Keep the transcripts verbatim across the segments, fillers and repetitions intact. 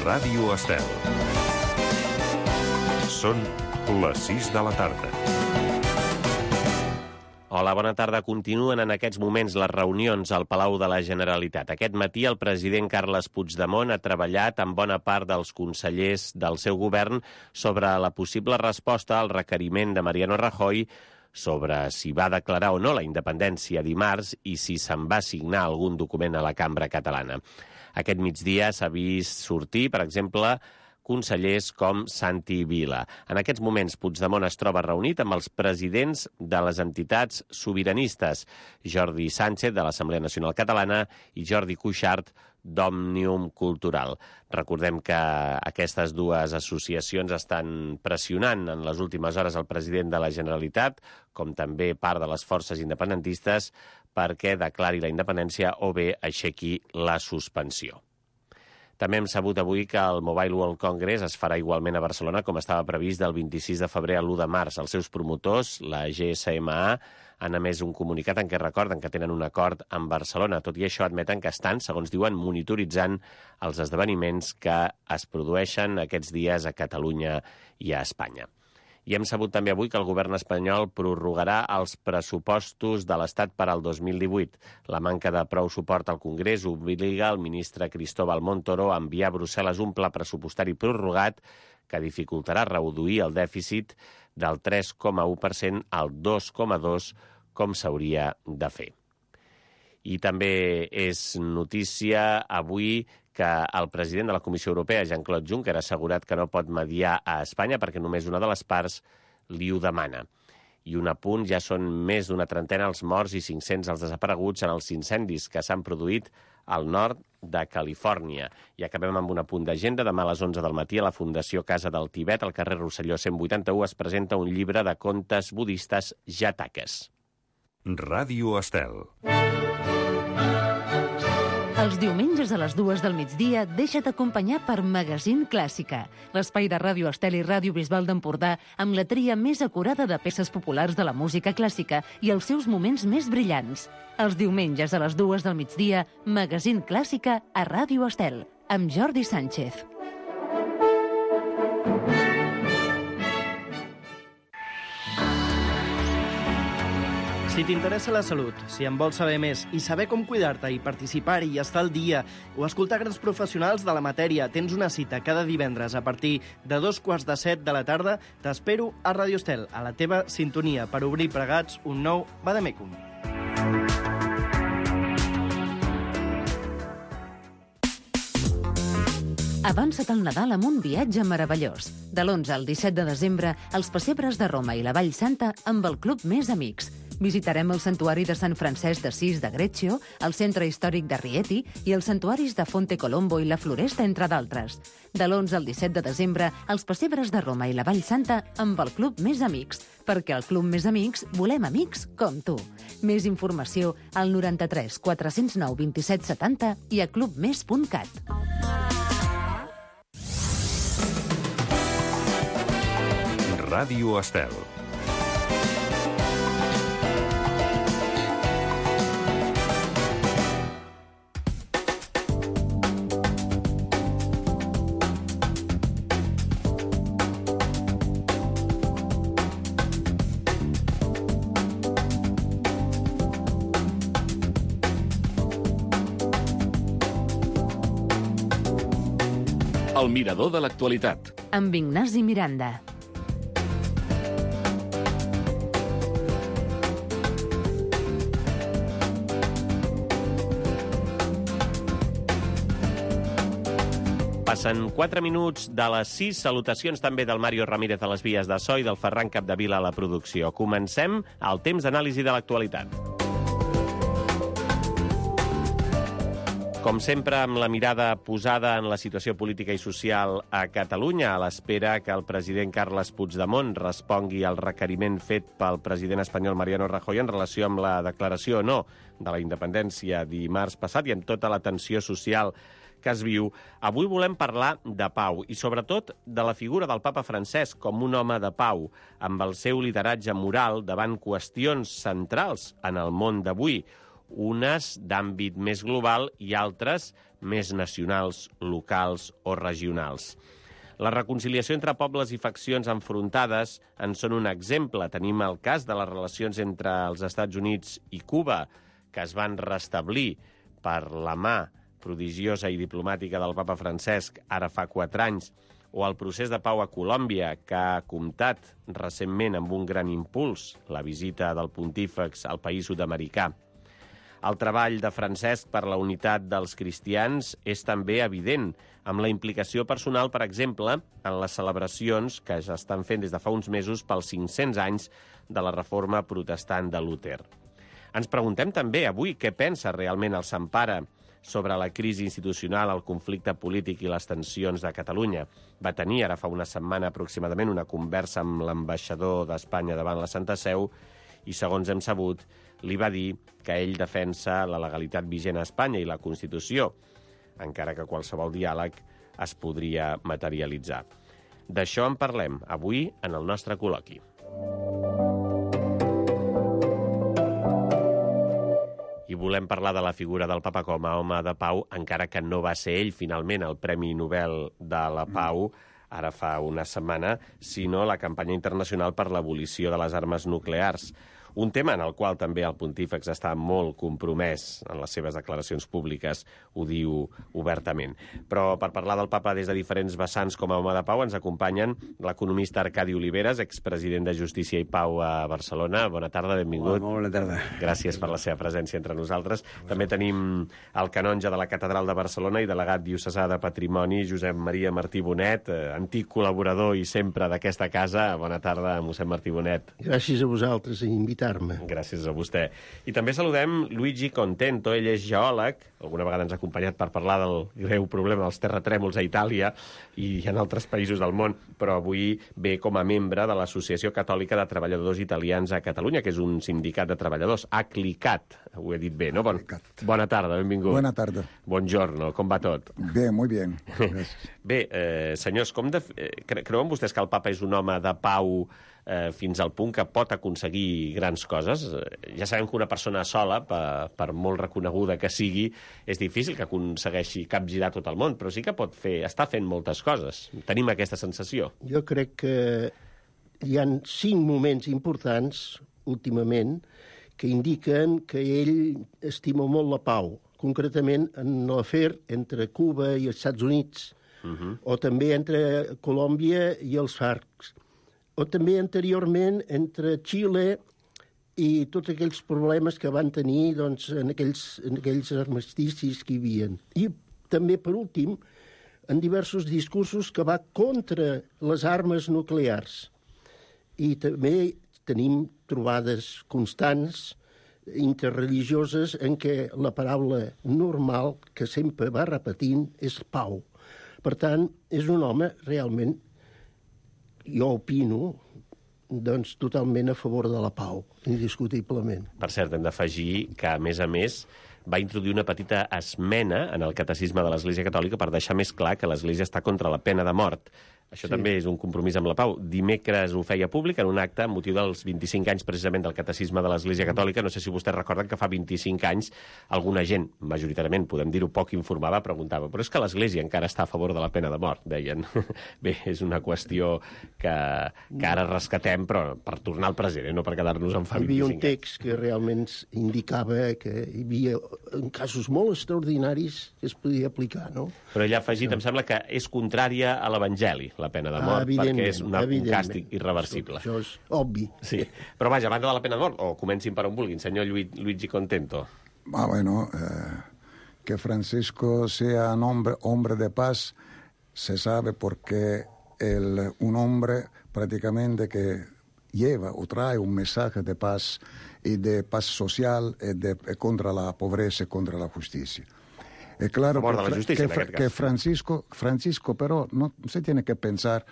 Ràdio Estel. Són les sis de la tarda. Hola, bona tarda. Continuen en aquests moments les reunions al Palau de la Generalitat. Aquest matí el president Carles Puigdemont ha treballat amb bona part dels consellers del seu govern sobre la possible resposta al requeriment de Mariano Rajoy sobre si va declarar o no la independència dimarts i si se'n va signar algun document a la cambra catalana. Aquest migdia s'ha vist sortir, per exemple, consellers com Santi Vila. En aquests moments, Puigdemont es troba reunit amb els presidents de les entitats sobiranistes, Jordi Sánchez, de l'Assemblea Nacional Catalana, i Jordi Cuixart, d'Òmnium Cultural. Recordem que aquestes dues associacions estan pressionant en les últimes hores el president de la Generalitat, com també part de les forces independentistes, perquè declari la independència o bé aixequi la suspensió. També hem sabut avui que el Mobile World Congress es farà igualment a Barcelona com estava previst del vint-i-sis de febrer a l'u de març. Els seus promotors, la G S M A, han emès un comunicat en què recorden que tenen un acord amb Barcelona. Tot i això admeten que estan, segons diuen, monitoritzant els esdeveniments que es produeixen aquests dies a Catalunya i a Espanya. I hem sabut també avui que el govern espanyol prorrogarà els pressupostos de l'Estat per al dos mil divuit. La manca de prou suport al Congrés obliga el ministre Cristóbal Montoro a enviar a Brussel·les un pla pressupostari prorrogat que dificultarà reduir el dèficit del tres coma u per cent al dos coma dos per cent, com s'hauria de fer. I també és notícia avui que el president de la Comissió Europea, Jean-Claude Juncker, ha assegurat que no pot mediar a Espanya perquè només una de les parts li ho demana. I un apunt, ja són més d'una trentena els morts i cinc-cents els desapareguts en els incendis que s'han produït al nord de Califòrnia. I acabem amb un apunt d'agenda. Demà a les onze del matí a la Fundació Casa del Tibet, al carrer Rosselló cent vuitanta-u, es presenta un llibre de contes budistes Jatakas. Ràdio Estel. Els diumenges a les dues del migdia deixa't acompanyar per Magazine Clàssica, l'espai de Ràdio Estel i Ràdio Bisbal d'Empordà amb la tria més acurada de peces populars de la música clàssica i els seus moments més brillants. Els diumenges a les dues del migdia, Magazine Clàssica a Ràdio Estel, amb Jordi Sánchez. Si t'interessa la salut, si en vols saber més i saber com cuidar-te i participar-hi i estar al dia o escoltar grans professionals de la matèria, tens una cita cada divendres a partir de dos quarts de set de la tarda, t'espero a Ràdio Estel, a la teva sintonia, per obrir plegats un nou Vademecum. Avança't al Nadal amb un viatge meravellós. De l'onze al disset de desembre, els pessebres de Roma i la Vall Santa amb el Club Més Amics. Visitarem el Santuari de Sant Francesc d'Assís de Greccio, el Centre Històric de Rieti i els santuaris de Fonte Colombo i la Floresta, entre d'altres. De l'onze al disset de desembre, els pessebres de Roma i la Vall Santa amb el Club Més Amics, perquè al Club Més Amics volem amics com tu. Més informació al noranta-tres quatre-cents nou vint-i-set setanta i a clubmes punt cat. Ràdio Estel. El mirador de l'actualitat. Amb Ignasi Miranda. Passen quatre minuts de les sis. Salutacions també del Mario Ramírez a les vies de so i del Ferran Capdevila a la producció. Comencem el temps d'anàlisi de l'actualitat. Com sempre, amb la mirada posada en la situació política i social a Catalunya, a l'espera que el president Carles Puigdemont respongui al requeriment fet pel president espanyol Mariano Rajoy en relació amb la declaració o no de la independència dimarts passat i amb tota la tensió social que es viu. Avui volem parlar de pau i, sobretot, de la figura del papa Francesc com un home de pau, amb el seu lideratge moral davant qüestions centrals en el món d'avui, unes d'àmbit més global i altres més nacionals, locals o regionals. La reconciliació entre pobles i faccions enfrontades en són un exemple. Tenim el cas de les relacions entre els Estats Units i Cuba, que es van restablir per la mà prodigiosa i diplomàtica del papa Francesc ara fa quatre anys, o el procés de pau a Colòmbia, que ha comptat recentment amb un gran impuls, la visita del pontífex al país sud-americà. El treball de Francesc per la unitat dels cristians és també evident, amb la implicació personal, per exemple, en les celebracions que ja estan fent des de fa uns mesos pels cinc-cents anys de la reforma protestant de Luther. Ens preguntem també avui què pensa realment el Sant Pare sobre la crisi institucional, el conflicte polític i les tensions de Catalunya. Va tenir ara fa una setmana aproximadament una conversa amb l'ambaixador d'Espanya davant la Santa Seu i, segons hem sabut, li va dir que ell defensa la legalitat vigent a Espanya i la Constitució, encara que qualsevol diàleg es podria materialitzar. D'això en parlem avui en el nostre col·loqui. I volem parlar de la figura del papa com a home de pau, encara que no va ser ell, finalment, el Premi Nobel de la Pau, ara fa una setmana, sinó la campanya internacional per l'abolició de les armes nuclears. Un tema en el qual també el pontífex està molt compromès en les seves declaracions públiques, ho diu obertament. Però per parlar del papa des de diferents vessants com a home de pau ens acompanyen l'economista Arcadi Oliveres, expresident de Justícia i Pau a Barcelona. Bona tarda, benvingut. Hola, molt bona tarda. Gràcies per la seva presència entre nosaltres. També tenim el canonge de la Catedral de Barcelona i delegat diocesà de Patrimoni, Josep Maria Martí Bonet, antic col·laborador i sempre d'aquesta casa. Bona tarda, mossèn Martí Bonet. Gràcies a vosaltres i invitar Gràcies a vostè. I també saludem Luigi Contento, ell és geòleg, alguna vegada ens ha acompanyat per parlar del greu problema dels terratrèmols a Itàlia i en altres països del món, però avui ve com a membre de l'Associació Catòlica de Treballadors Italians a Catalunya, que és un sindicat de treballadors, ACLICAT, ho he dit bé, no? Bon, bona tarda, benvingut. Bona tarda. Buongiorno, com va tot? Bé, molt bé. Bé, eh, senyors, com de... cre creuen vostès que el papa és un home de pau eh, fins al punt que pot aconseguir grans coses? Ja sabem que una persona sola, per, per molt reconeguda que sigui, és difícil que aconsegueixi capgirar tot el món, però sí que pot fer, està fent moltes coses. Tenim aquesta sensació. Jo crec que hi ha cinc moments importants, últimament, que indiquen que ell estima molt la pau, concretament en l'afer entre Cuba i els Estats Units, uh-huh. o també entre Colòmbia i els FARC, o també anteriorment entre Xile i tots aquells problemes que van tenir doncs, en, aquells, en aquells armisticis que hi havia. I també, per últim, en diversos discursos que va contra les armes nuclears. I també tenim trobades constants interreligioses en què la paraula normal que sempre va repetint és pau. Per tant, és un home realment, jo opino, doncs totalment a favor de la pau, indiscutiblement. Per cert, hem d'afegir que, a més a més, va introduir una petita esmena en el catecisme de l'Església Catòlica per deixar més clar que l'Església està contra la pena de mort. Això sí. També és un compromís amb la pau. Dimecres ho feia públic en un acte amb motiu dels vint-i-cinc anys precisament del Catecisme de l'Església Catòlica. No sé si vostès recorden que fa vint-i-cinc anys alguna gent, majoritàriament, podem dir-ho poc informada, preguntava, però és que l'Església encara està a favor de la pena de mort, deien. Bé, és una qüestió que, que ara rescatem, però per tornar al present, eh? No per quedar-nos en fa vint-i-cinc anys. Hi havia un text que realment indicava que hi havia en casos molt extraordinaris que es podia aplicar, no? Però ell ha afegit, em sembla que és contrària a l'Evangeli, la pena de mort, ah, perquè és una, un càstig irreversible. Això, això és obvi. Sí. Però vaja, a banda de la pena de mort, o comencin per on vulguin, senyor Luigi Contento. Ah, bueno, eh, que Francisco sea un hombre, hombre de paz se sabe porque el, un hombre prácticamente que lleva o trae un mensaje de paz y de paz social y de, contra la pobreza y contra la justicia. Es claro que, justicia, que, que Francisco, Francisco, pero no se tiene que pensar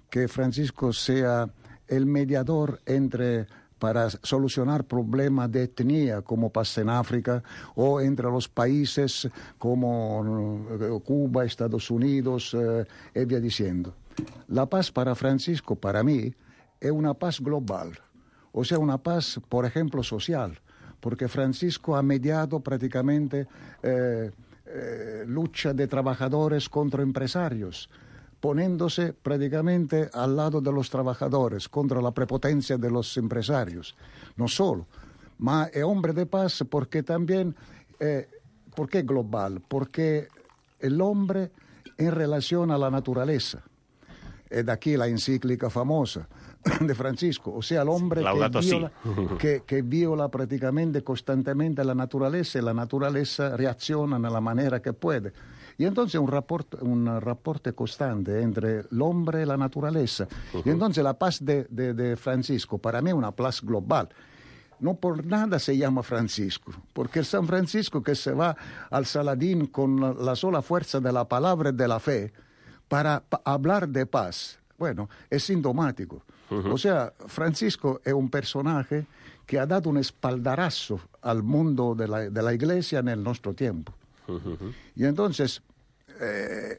que Francisco sea el mediador entre para solucionar problemas de etnia como pasa en África o entre los países como Cuba, Estados Unidos, eh, y via diciendo. La paz para Francisco, para mí, es una paz global, o sea, una paz, por ejemplo, social, porque Francisco ha mediado prácticamente... Eh, eh, lucha de trabajadores contra empresarios, poniéndose prácticamente al lado de los trabajadores contra la prepotencia de los empresarios. No solo, ma es hombre de paz porque también, eh, ¿por qué global? Porque el hombre en relación a la naturaleza. Es de aquí la encíclica famosa de Francisco, o sea, el hombre Laudato que viola, si. que, que viola prácticamente constantemente la naturaleza y la naturaleza reacciona de la manera que puede. Y entonces un rapporto, un rapporto constante entre el hombre y la naturaleza. Uh-huh. Y entonces la paz de, de, de Francisco para mí es una paz global. No por nada se llama Francisco, porque el San Francisco que se va al Saladín con la, la sola fuerza de la palabra y de la fe para pa hablar de paz, bueno, es sintomático. Uh-huh. O sea, Francisco es un personaje que ha dado un espaldarazo al mundo de la, de la Iglesia en el nuestro tiempo. Uh-huh. Y entonces, eh,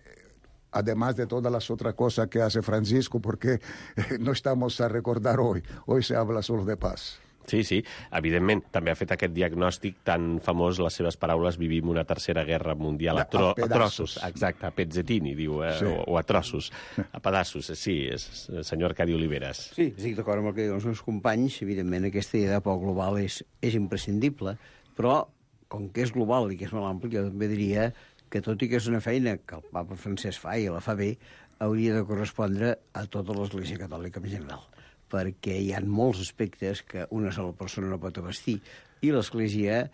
además de todas las otras cosas que hace Francisco, porque eh, no estamos a recordar hoy, hoy se habla solo de paz. Sí, sí, evidentment. També ha fet aquest diagnòstic tan famós, les seves paraules, vivim una tercera guerra mundial a, tro a, a trossos. Exacte, a pezzettini, diu, eh? sí. o, o a trossos, a pedaços. Sí, és el senyor Arcadi Oliveres. Sí, estic d'acord amb el que diuen els meus companys. Evidentment, aquesta idea de pau global és, és imprescindible, però com que és global i que és molt ampli, jo també diria que tot i que és una feina que el papa Francesc fa i la fa bé, hauria de correspondre a tota l'Església Catòlica en general, perquè hi ha molts aspectes que una sola persona no pot abastir, i l'Església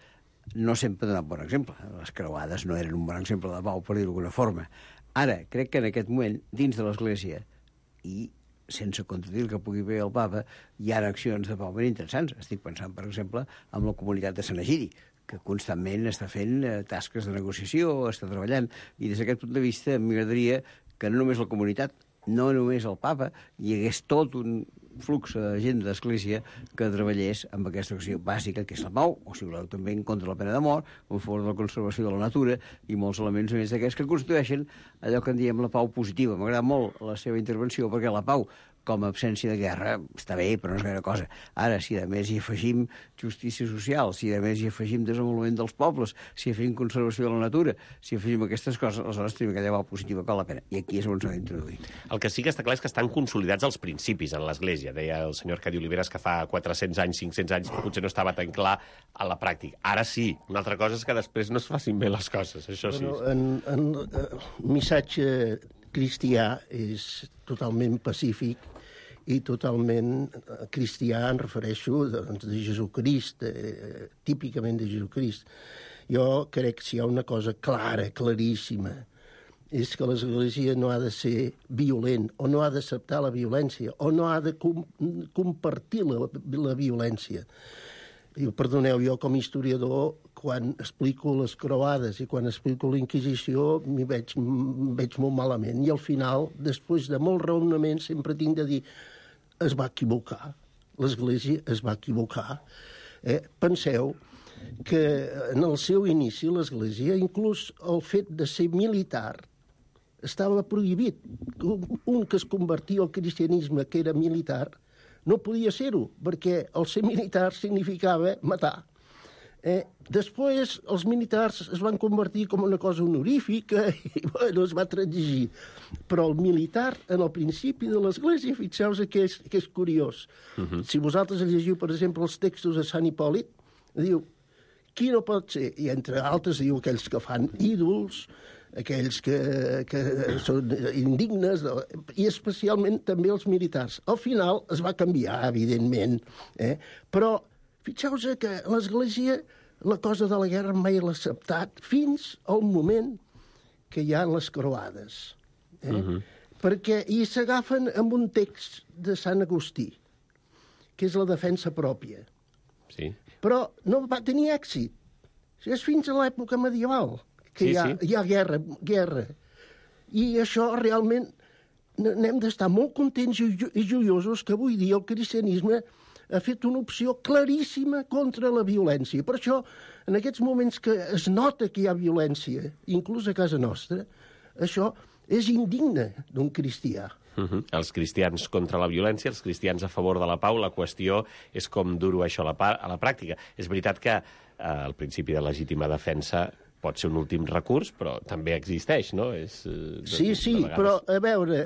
no sempre ha donat bon exemple. Les creuades no eren un bon exemple de pau, per dir-ho d'alguna forma. Ara, crec que en aquest moment, dins de l'Església, i sense contradir el que pugui fer el papa, hi ha accions de pau ben interessants. Estic pensant, per exemple, en la comunitat de Sant Egidi, que constantment està fent eh, tasques de negociació, està treballant, i des d'aquest punt de vista m'agradaria que no només la comunitat, no només el papa, hi hagués tot un flux de gent d'església que treballés amb aquesta acció bàsica, que és la pau, o si voleu també en contra de la pena de mort, en favor de la conservació de la natura, i molts elements més d'aquests que constitueixen allò que en diem la pau positiva. M'agrada molt la seva intervenció, perquè la pau, com a absència de guerra, està bé, però no és gaire cosa. Ara, si a més hi afegim justícia social, si a més hi afegim desenvolupament dels pobles, si afegim conservació de la natura, si afegim aquestes coses, aleshores tenim aquella pau positiva que val la pena. I aquí és on s'ha d'introduir. El que sí que està clar és que estan consolidats els principis en l'Església. Deia el senyor Arcadi Oliveres que fa quatre-cents anys, cinc-cents anys, que potser no estava tan clar a la pràctica. Ara sí. Una altra cosa és que després no es facin bé les coses, això sí. Bueno, en, en, en missatge cristià és totalment pacífic i totalment cristià, em refereixo doncs, de Jesucrist, eh, típicament de Jesucrist. Jo crec que si hi ha una cosa clara, claríssima, és que l'Església no ha de ser violent, o no ha d'acceptar la violència, o no ha de com compartir la, la violència. I, perdoneu, jo com a historiador, quan explico les croades i quan explico la Inquisició, m'hi veig, veig molt malament. I al final, després de molt raonament, sempre tinc de dir es va equivocar. L'Església es va equivocar. Eh? Penseu que en el seu inici l'Església, inclús el fet de ser militar, estava prohibit. Un que es convertia al cristianisme, que era militar, no podia ser-ho, perquè el ser militar significava matar. Eh, després, els militars es van convertir com una cosa honorífica i bueno, es va transigir. Però el militar, en el principi de l'Església, fixeu-vos que és, que és curiós. Uh-huh. Si vosaltres llegiu, per exemple, els textos de Sant Hipòlit, diu, qui no pot ser? I entre altres diu aquells que fan ídols, aquells que, que són indignes, i especialment també els militars. Al final es va canviar, evidentment, eh? Però fixeu-vos que l'Església, la cosa de la guerra mai l'ha acceptat fins al moment que hi ha les croades. Eh? Uh-huh. Perquè hi s'agafen amb un text de Sant Agustí, que és la defensa pròpia. Sí. Però no va tenir èxit. És fins a l'època medieval que sí, hi ha, sí. hi ha guerra, guerra. I això realment n'hem d'estar molt contents i joiosos que avui dia el cristianisme ha fet una opció claríssima contra la violència. Per això, en aquests moments que es nota que hi ha violència, inclús a casa nostra, això és indigne d'un cristià. Uh-huh. Els cristians contra la violència, els cristians a favor de la pau, la qüestió és com dur-ho això a la, a la pràctica. És veritat que eh, el principi de legítima defensa pot ser un últim recurs, però també existeix, no? És, eh, Sí, sí, vegades... però, a veure,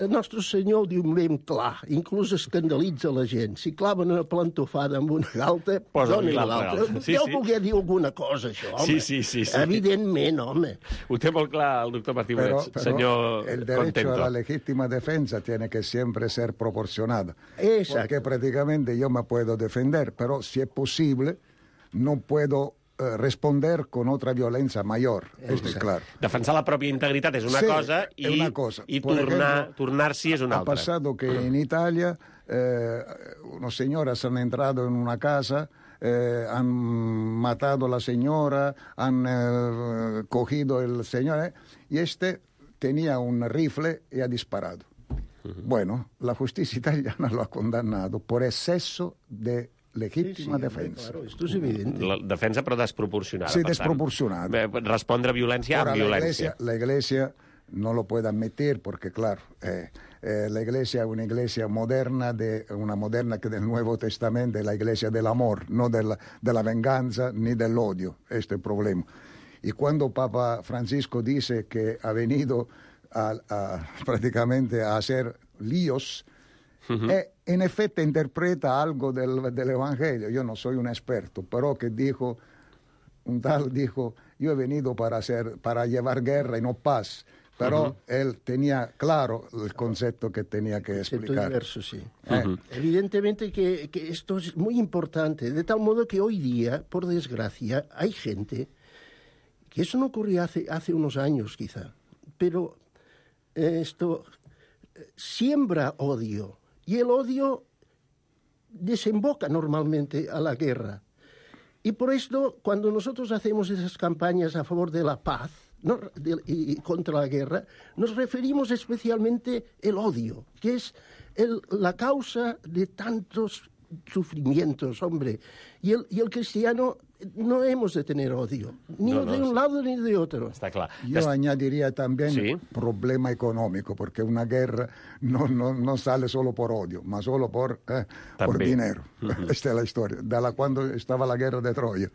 el nostre senyor ho diu ben clar, inclús escandalitza la gent. Si claven una plantofada amb una galta, Posa-li doni l'altra l'altra. galta. Sí, Deu sí. voler dir alguna cosa, això, home. Sí, sí, sí, sí. Evidentment, home. Ho té molt clar el doctor Martí Pero, Morets, pero senyor el derecho Contento. a la legítima defensa tiene que siempre ser proporcionado. Exacto. Porque prácticamente yo me puedo defender, pero si es posible, no puedo eh, responder con otra violencia mayor. Esto es claro. Defensar la pròpia integritat és una Sí, cosa i, es una cosa. i Por tornar, ejemplo, tornar-s'hi és una Ha altra. pasado que en Italia eh, unos señoras han entrado en una casa, eh, han matado a la señora, han eh, cogido el señor, eh, y este tenía un rifle y ha disparado. Uh-huh. Bueno, la justicia italiana lo ha condenado por exceso de legítima Sí, sí, defensa. claro, esto es evidente. La defensa, però desproporcionada. Sí, per tant. desproporcionada. Bé, respondre a violència Ahora, amb la violència. iglesia, la iglesia no lo puede admitir porque, claro, eh, eh, la iglesia es una iglesia moderna, de, una moderna que del Nuevo Testamento, es la iglesia del amor, no de la, de la venganza ni del odio. Este es el problema. Y cuando Papa Francisco dice que ha venido a, a, prácticamente a hacer líos, uh-huh. eh, en efecto interpreta algo del, del Evangelio. Yo no soy un experto, pero que dijo, un tal dijo, yo he venido para, hacer, para llevar guerra y no paz. Pero uh-huh. él tenía claro el concepto que tenía que explicar. Diverso, sí. Eh. Uh-huh. Evidentemente que, que esto es muy importante, de tal modo que hoy día, por desgracia, hay gente que eso no ocurrió hace, hace unos años quizá, pero eh, esto eh, siembra odio y el odio desemboca normalmente a la guerra. Y por esto, cuando nosotros hacemos esas campañas a favor de la paz, ¿no? de, y, y contra la guerra, nos referimos especialmente al odio, que es el, la causa de tantos sufrimientos, hombre. Y el, y el cristiano no hemos de tener odio, ni no, no, de un lado ni de otro. Està clar. Yo Des... añadiría también sí. problema económico, porque una guerra no, no, no sale solo por odio, más solo por, eh, por dinero. Uh-huh. Esta es la historia, de la cuando estaba la guerra de Troya.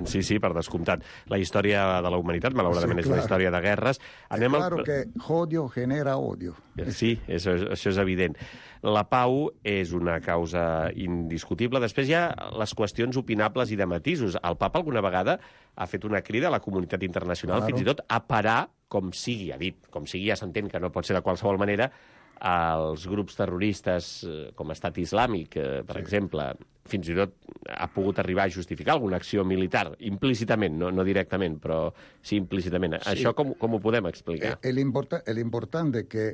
Sí, sí, per descomptat. La història de la humanitat, malauradament, sí, és una història de guerres. Anem claro al... que odio genera odio. Sí, això, això és evident. La pau és una causa indiscutible. Després hi ha les qüestions opinables i de matisos. El papa alguna vegada ha fet una crida a la comunitat internacional, claro. fins i tot a parar, com sigui, ha dit, com sigui, ja s'entén que no pot ser de qualsevol manera, als grups terroristes com Estat Islàmic, per sí. exemple, fins i tot ha pogut arribar a justificar alguna acció militar, implícitament, no, no directament, però sí implícitament. Sí. Això com, com ho podem explicar? El, importa, el importante que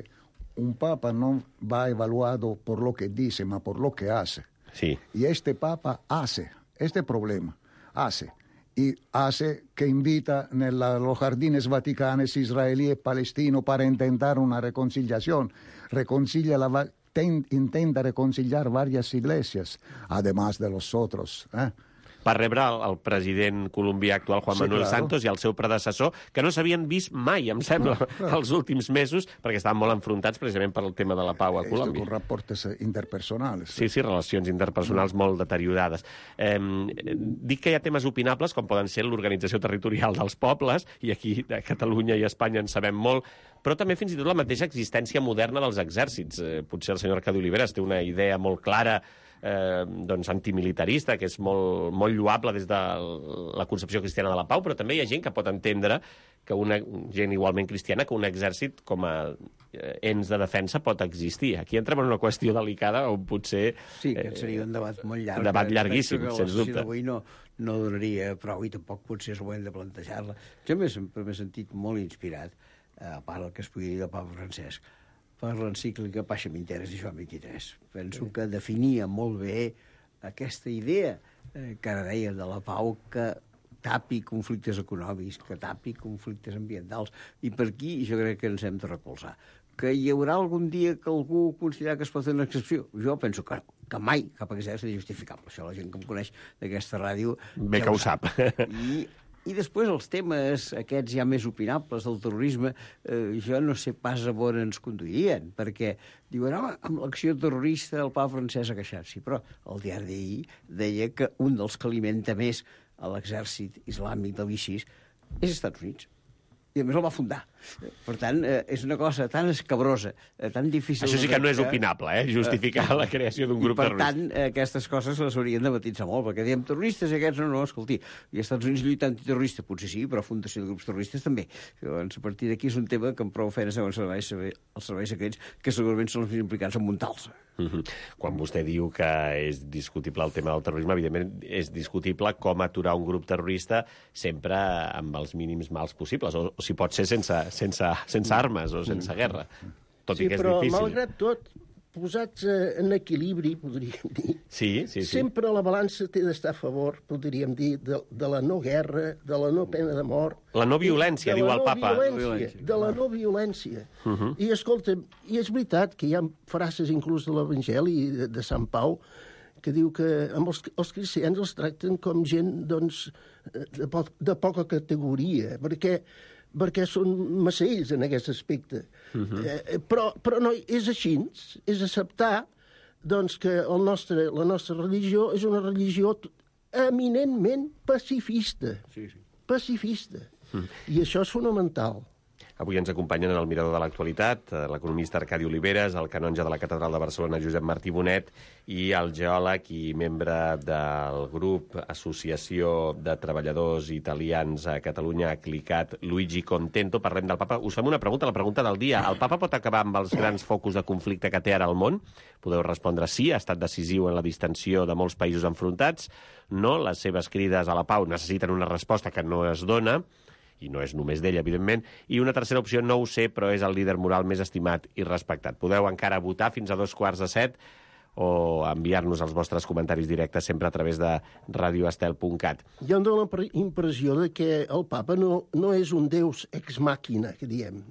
un papa no va evaluado por lo que dice, ma por lo que hace. Sí. Y este papa hace, este problema, hace. Y hace que invita en los jardines vaticanos israelíes y palestinos para intentar una reconciliación. Reconcilia la, ten, intenta reconciliar varias iglesias, además de los otros. ¿eh? Va rebre el, el president colombià actual, Juan sí, Manuel claro. Santos, i el seu predecessor, que no s'havien vist mai, em sembla, claro. els últims mesos, perquè estaven molt enfrontats precisament per el tema de la pau a Colòmbia. Con reportes interpersonals. Sí, sí, relacions interpersonals mm. molt deteriorades. Eh, dic que hi ha temes opinables, com poden ser l'organització territorial dels pobles, i aquí a Catalunya i a Espanya en sabem molt, però també fins i tot la mateixa existència moderna dels exèrcits. Eh, potser el senyor Arcadi Oliveres té una idea molt clara Eh, doncs antimilitarista, que és molt, molt lloable des de la concepció cristiana de la pau, però també hi ha gent que pot entendre que una gent igualment cristiana, que un exèrcit com a ens de defensa pot existir. Aquí entrem en una qüestió delicada on potser... Sí, que seria un debat molt llarg. Un debat llarguíssim, sens dubte. Avui no, no donaria prou i tampoc potser és el moment de plantejar-la. Jo m'he sentit molt inspirat, a part del que es pugui dir del Papa Francesc, per l'encíclica Pacem in Terris i Joan vint-i-tres. Penso sí. que definia molt bé aquesta idea eh, que ara deia de la pau, que tapi conflictes econòmics, que tapi conflictes ambientals, i per aquí jo crec que ens hem de recolzar. Que hi haurà algun dia que algú considera que es pot fer una excepció? Jo penso que, que mai cap exèrcit és justificable. Això la gent que em coneix d'aquesta ràdio... Bé ja que ho sap. I I després els temes aquests ja més opinables del terrorisme, eh, jo no sé pas a on ens conduirien, perquè diuen, home, amb l'acció terrorista el papa Francesc ha queixat. Sí, però el diari d'ahir deia que un dels que alimenta més a l'exèrcit islàmic de l'I S I S és als Estats Units. I a més el va fundar. Per tant, eh, és una cosa tan escabrosa, eh, tan difícil... Això sí que no és opinable, eh? Justificar eh, la creació d'un grup terrorista. I, per tant, eh, aquestes coses les haurien de matitzar molt, perquè diem terroristes i aquests no, no, escolti, i als Estats Units lluita antiterrorista, potser sí, però fundació de grups terroristes també. Llavors, a partir d'aquí és un tema que amb prou feines deuen saber els serveis secrets, que segurament són els més implicats en muntar-los. Mm-hmm. Quan vostè diu que és discutible el tema del terrorisme, evidentment és discutible com aturar un grup terrorista sempre amb els mínims mals possibles, o, o si pot ser sense, sense, sense armes o sense guerra, tot sí, i que és però, difícil. Malgrat tot, posats en equilibri, podríem dir, sí, sí, sí. sempre la balança té d'estar a favor, podríem dir, de, de la no guerra, de la no pena de mort. La no violència, diu el no papa. Violència, de la no violència. Uh -huh. I, escolta, i és veritat que hi ha frases inclús de l'Evangeli de, de Sant Pau que diu que amb els, els cristians els tracten com gent, doncs, de, po de poca categoria, perquè perquè són massells en aquest aspecte. Uh-huh. eh, però, però no, és així, és acceptar doncs, que el nostre, la nostra religió és una religió eminentment pacifista. Sí, sí. Pacifista. Uh-huh. I això és fonamental. Avui ens acompanyen en el Mirador de l'Actualitat l'economista Arcadi Oliveres, el canonge de la Catedral de Barcelona Josep Martí Bonet i el geòleg i membre del grup Associació de Treballadors Italians a Catalunya, Clicat, Luigi Contento. Parlem del papa. Us fem una pregunta, la pregunta del dia. El papa pot acabar amb els grans focus de conflicte que té ara al món? Podeu respondre sí, ha estat decisiu en la distensió de molts països enfrontats. No, les seves crides a la pau necessiten una resposta que no es dona, i no és només d'ell, evidentment, i una tercera opció, no ho sé, però és el líder moral més estimat i respectat. Podeu encara votar fins a dos quarts de set o enviar-nos els vostres comentaris directes sempre a través de radio estel punt cat. Jo em dono la impressió de que el papa no, no és un deus ex màquina, que diem.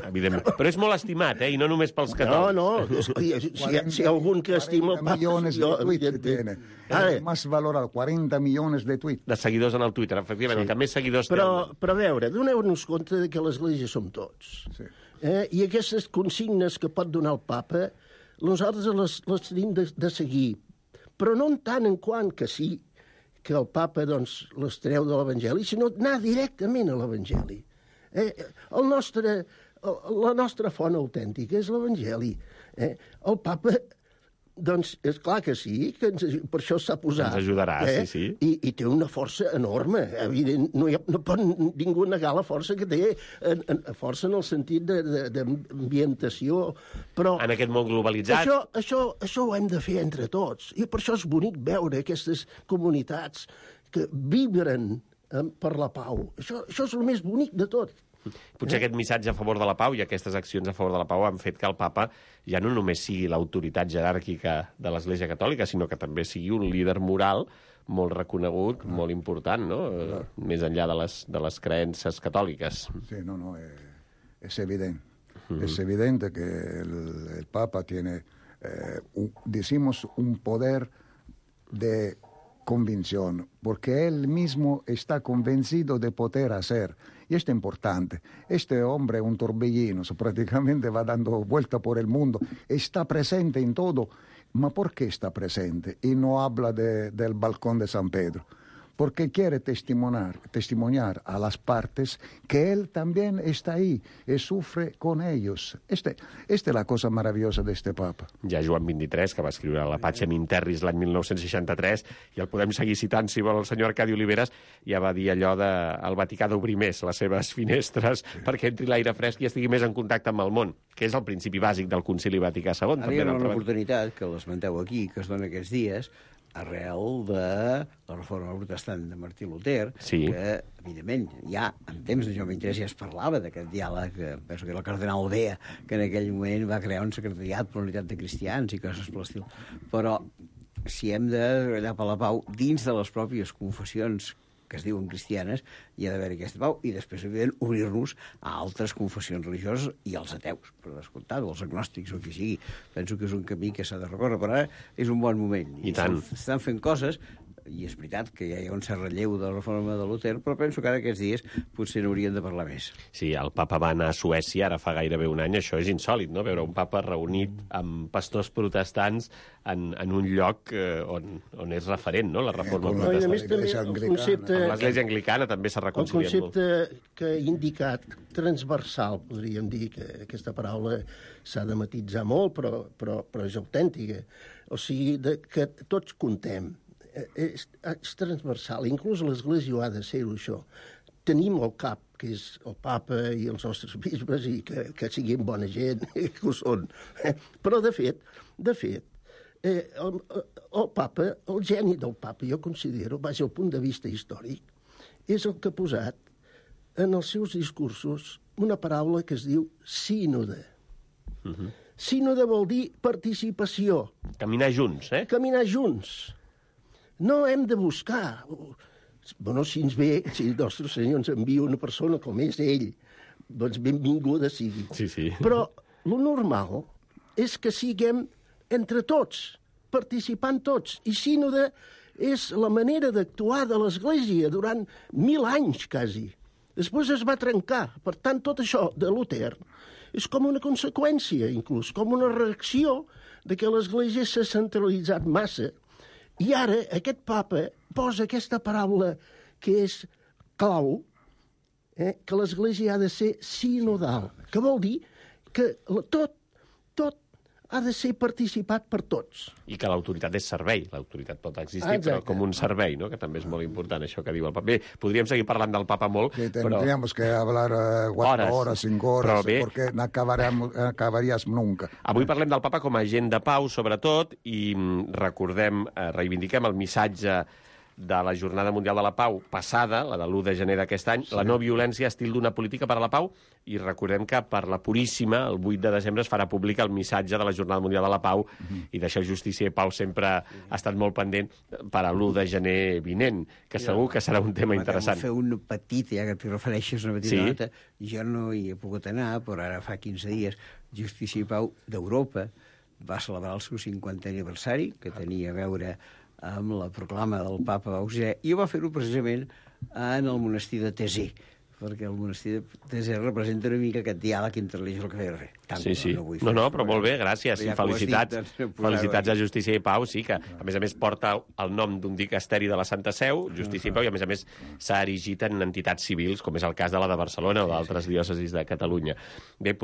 Evidentment. Però és molt estimat, eh? I no només pels catòlics. No, no. Si, si, si algun que estima el papa... millones de tweets tiene. El más valorado, cuarenta millones de tweets. De seguidors en el Twitter, efectivament, sí. El que més seguidors però, té... Però a veure, doneu-nos compte de que l'Església som tots. Sí. Eh? I aquestes consignes que pot donar el papa nosaltres les, les tenim de, de seguir, però no en tant en quant que sí, que el papa doncs, les treu de l'Evangeli, sinó anar directament a l'Evangeli. Eh? El nostre, la nostra font autèntica és l'Evangeli. Eh? El papa, doncs, és clar que sí, que ens, per això s'ha posat. Ens ajudarà, eh? sí, sí. I, I té una força enorme. Evident, no, ha, no pot ningú negar la força que té, en, en, força en el sentit d'ambientació. Però en aquest món globalitzat. Això, això, això ho hem de fer entre tots. I per això és bonic veure aquestes comunitats que vibren eh, per la pau. Això, això és el més bonic de tot. Potser aquest missatge a favor de la pau i aquestes accions a favor de la pau han fet que el papa ja no només sigui l'autoritat jeràrquica de l'Església Catòlica, sinó que també sigui un líder moral molt reconegut, ah. molt important, no? Ah. Més enllà de les, de les creences catòliques. Sí, no, no, es, es evidente. Uh-huh. Es evidente que el, el Papa tiene, eh, un, decimos, un poder de convicción, porque él mismo está convencido de poder hacer. Y esto es importante. Este hombre es un torbellino, prácticamente va dando vuelta por el mundo, está presente en todo. ¿Ma por qué está presente? Y no habla de, del balcón de San Pedro. Porque quiere testimoniar, testimoniar a las partes que él también está ahí y sufre con ellos. Este, esta es la cosa maravillosa de este papa. Ja Joan vint-i-tres, que va escriure la Pacem in Terris l'any mil nou-cents seixanta-tres, i el podem seguir citant, si vol, el senyor Arcadi Oliveres, ja va dir allò de el Vaticà d'obrir més les seves finestres sí. perquè entri l'aire fresc i estigui més en contacte amb el món, que és el principi bàsic del Concili Vaticà segon. Ara hi ha una oportunitat, que l'esmenteu aquí, que es dona aquests dies, arrel de la reforma protestant de Martí Luter, sí. que, evidentment, ja en temps de Joan vint-i-tres ja es parlava d'aquest diàleg, que penso que era el cardenal Bea, que en aquell moment va crear un secretariat per la unitat de cristians i coses per l'estil. Però si hem de treballar per la pau dins de les pròpies confessions que es diuen cristianes, hi ha d'haver aquesta pau, i després, evident, obrir-nos a altres confessions religioses i als ateus, per descomptat, o als agnòstics, o qui sigui. Penso que és un camí que s'ha de recórrer, però ara és un bon moment. I tant. Estan fent coses i és veritat que ja hi ha un cert relleu de la reforma de Luter, però penso que ara aquests dies potser n'hauríem de parlar més. Sí, el papa va anar a Suècia ara fa gairebé un any, això és insòlit, no?, veure un papa reunit amb pastors protestants en, en un lloc eh, on, on és referent, no?, la reforma no, protestant. I a més també el concepte... Amb l'Església Anglicana també s'ha reconciliat molt. El concepte que he indicat, transversal, podríem dir, que aquesta paraula s'ha de matitzar molt, però, però, però és autèntica. O sigui, de, que tots contem. És, és transversal. Inclús l'Església ho ha de ser-ho, això. Tenim el cap, que és el papa i els nostres bisbes, i que, que siguin bona gent, que ho són. Però, de fet, de fet, eh, el, el papa, el geni del papa, jo considero, vaja, al punt de vista històric, és el que ha posat en els seus discursos una paraula que es diu sínode. Uh-huh. Sínode vol dir participació. Caminar junts, eh? Caminar junts. No hem de buscar... Bueno, si ens ve, si el nostre senyor ens envia una persona com és ell, doncs benvinguda sigui. Sí, sí. Però lo normal és que siguem entre tots, participant tots. I sínode és la manera d'actuar de l'Església durant mil anys, quasi. Després es va trencar. Per tant, tot això de Luter és com una conseqüència, inclús, com una reacció de que l'Església s'ha centralitzat massa. I ara aquest papa posa aquesta paraula que és clau, eh, que l'Església ha de ser sinodal, que vol dir que tot, tot ha de ser participat per tots. I que l'autoritat és servei. L'autoritat pot existir, Exacte. però com un servei, no?, que també és molt important, això que diu el papa. Bé, podríem seguir parlant del papa molt, que però... tendríamos que hablar uh, cuatro Horas. horas, cinco horas, Però bé. porque no acabaríamos, acabarías nunca. Avui parlem del papa com a agent de pau, sobretot, i mm, recordem, eh, reivindiquem el missatge de la Jornada Mundial de la Pau passada, la de l'u de gener d'aquest any, sí. La no violència, estil d'una política per a la pau, i recordem que per la Puríssima, el vuit de desembre, es farà públic el missatge de la Jornada Mundial de la Pau, mm-hmm. i d'això Justícia i Pau sempre mm-hmm. ha estat molt pendent per a l'u de gener vinent, que segur que serà un tema interessant. Fer un petit, ja que t'hi refereixes, una petita sí. nota. Jo no hi he pogut anar, però ara fa quinze dies Justícia i Pau d'Europa va celebrar el seu cinquantè aniversari, que tenia a veure amb la proclama del papa Auxiliar, i va fer-ho precisament en el monestir de Thésée, perquè el monestir de Thésée representa una mica aquest diàleg entre religió i el que feia res. Tant sí, sí. No, vull no, no, però molt bé, gràcies. ja I felicitats, dit, doncs, felicitats a Justícia i Pau, sí, que a més a més porta el nom d'un dicasteri de la Santa Seu, Justícia i Pau, i a més a més s'ha erigit en entitats civils, com és el cas de la de Barcelona o d'altres diòcesis de Catalunya. Bé,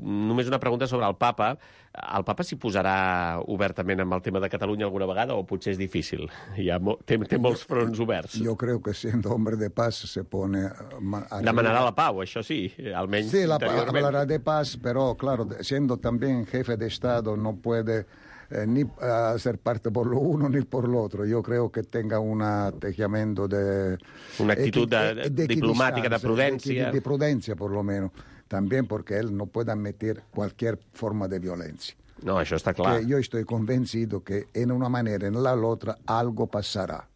només una pregunta sobre el papa. El papa s'hi posarà obertament amb el tema de Catalunya alguna vegada o potser és difícil? Hi ha mo té, té molts fronts oberts. Yo creo que siendo hombre de paz se pone... A... Demanarà la pau, això sí, almenys sí, la, interiorment. hablará de paz, pero claro, siendo también jefe de Estado no puede eh, ni uh, ser parte por lo uno ni por lo otro. Yo creo que tenga un atteggiamento de... Una actitud de, de, diplomática, de prudencia. De, de prudencia, por lo menos. También porque él no puede admitir cualquier forma de violencia. No, això està clar. Que yo estoy convencido que en una manera, en la otra, algo pasará.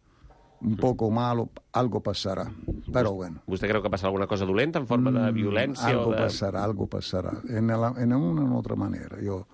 Un poco malo, algo pasará. Pero bueno. ¿Vostè creu que passarà alguna cosa dolenta en forma de violència? Mm, algo o de... pasará, algo pasará. En, la, en una u otra manera. Yo,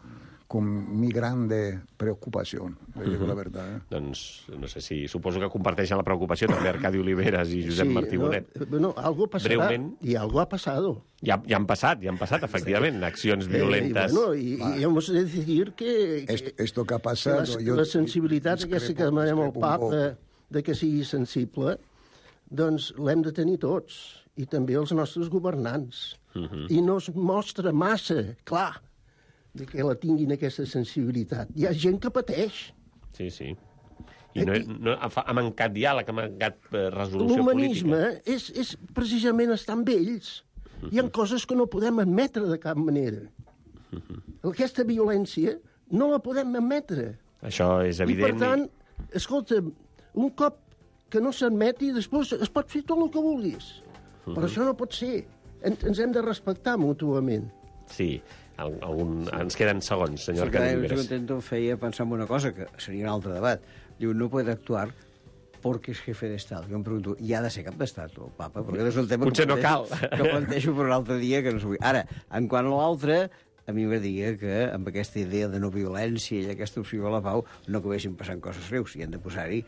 con mi grande preocupación, le digo uh-huh. la verdad. Eh? Doncs, no sé si... Suposo que comparteixen la preocupació també Arcadi Oliveres i Josep sí, Martí Bonet. No, no, algo pasará. Breument. Y algo ha pasado. Ja, ja han passat, ja han passat, efectivament, accions violentes. Eh, y bueno, y, y hemos de decir que... que esto, esto que ha pasado... La, yo, la sensibilitat aquesta que demanem al papa de que sigui sensible, doncs l'hem de tenir tots, i també els nostres governants. Uh-huh. I no es mostra massa, clar, de que la tinguin aquesta sensibilitat. Hi ha gent que pateix. Sí, sí. I no, no, ha mancat diàleg, ha mancat resolució política. L'humanisme és, és precisament estar amb ells. Uh-huh. Hi ha coses que no podem admetre de cap manera. Uh-huh. Aquesta violència no la podem admetre. Això és evident. I, per tant, escolta, un cop que no s'admeti, després es pot fer tot el que vulguis. Uh-huh. Però això no pot ser. En, ens hem de respectar mútuament. Sí, algun, ens queden segons, senyor sí, Arcadi Oliveres. Sí, que em feia pensar en una cosa, que seria un altre debat. Diu, no puede actuar porque es jefe de Estado. Jo em pregunto, i ha de ser cap d'Estat, el papa? Perquè és un tema Potser que, no cal. que plantejo per un altre dia, que no s'ho vull. Ara, en quant a l'altre, a mi m'agradaria que amb aquesta idea de no violència i aquesta opció a la pau no acabessin passant coses greus. I han de posar-hi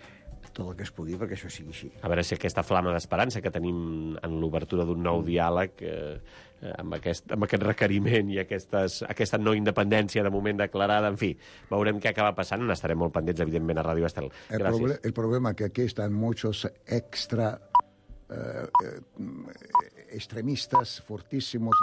tot el que es pugui perquè això sigui així. A veure si aquesta flama d'esperança que tenim en l'obertura d'un nou diàleg eh, amb, aquest, amb aquest requeriment i aquestes, aquesta no independència de moment declarada, en fi, veurem què acaba passant, n'estarem molt pendents, evidentment, a Ràdio Estel. El, proble el problema es que aquí están muchos extra eh, eh, extremistas fortísimos